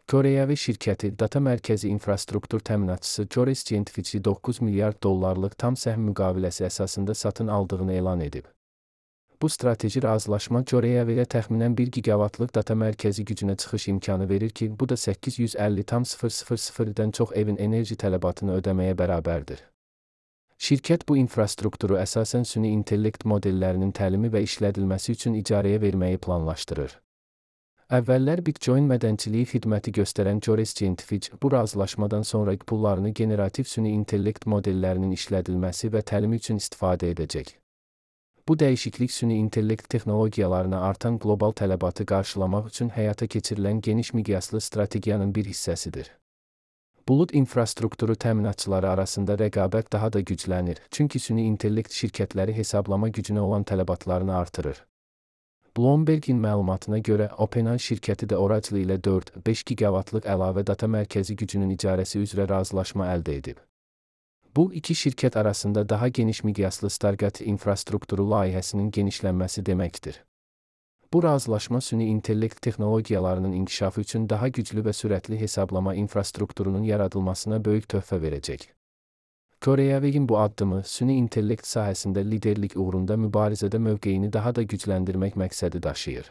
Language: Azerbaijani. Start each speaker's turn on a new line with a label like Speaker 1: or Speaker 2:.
Speaker 1: Koreyavi şirkəti data mərkəzi infrastruktur təminatçısı Jores Scientific'i 9 milyard dollarlıq tam səhm müqaviləsi əsasında satın aldığını elan edib. Bu strateji razılaşma Koreyaviyə təxminən 1 gigavatlıq data mərkəzi gücünə çıxış imkanı verir ki, bu da 850,000-dən çox evin enerji tələbatını ödəməyə bərabərdir. Şirkət bu infrastrukturu əsasən süni intellekt modellərinin təlimi və işlədilməsi üçün icarəyə verməyi planlaşdırır. Əvvəllər Bitcoin mədənçiliyi xidməti göstərən Jores Scientific bu razılaşmadan sonra pullarını generativ süni intellekt modellərinin işlədilməsi və təlimi üçün istifadə edəcək. Bu dəyişiklik süni intellekt texnologiyalarına artan qlobal tələbatı qarşılamaq üçün həyata keçirilən geniş miqyaslı strategiyanın bir hissəsidir. Bulud infrastrukturu təminatçıları arasında rəqabət daha da güclənir, çünki süni intellekt şirkətləri hesablama gücünə olan tələbatlarını artırır. Bloomberg'in məlumatına görə OpenAI şirkəti də Oracle ilə 4-5 gigavatlıq əlavə data mərkəzi gücünün icarəsi üzrə razılaşma əldə edib. Bu, iki şirkət arasında daha geniş miqyaslı Stargate infrastrukturu layihəsinin genişlənməsi deməkdir. Bu razılaşma süni intellekt texnologiyalarının inkişafı üçün daha güclü və sürətli hesablama infrastrukturunun yaradılmasına böyük töhfə verəcək. Koreyaviyin bu addımı, süni intellekt sahəsində liderlik uğrunda mübarizədə mövqeyini daha da gücləndirmək məqsədi daşıyır.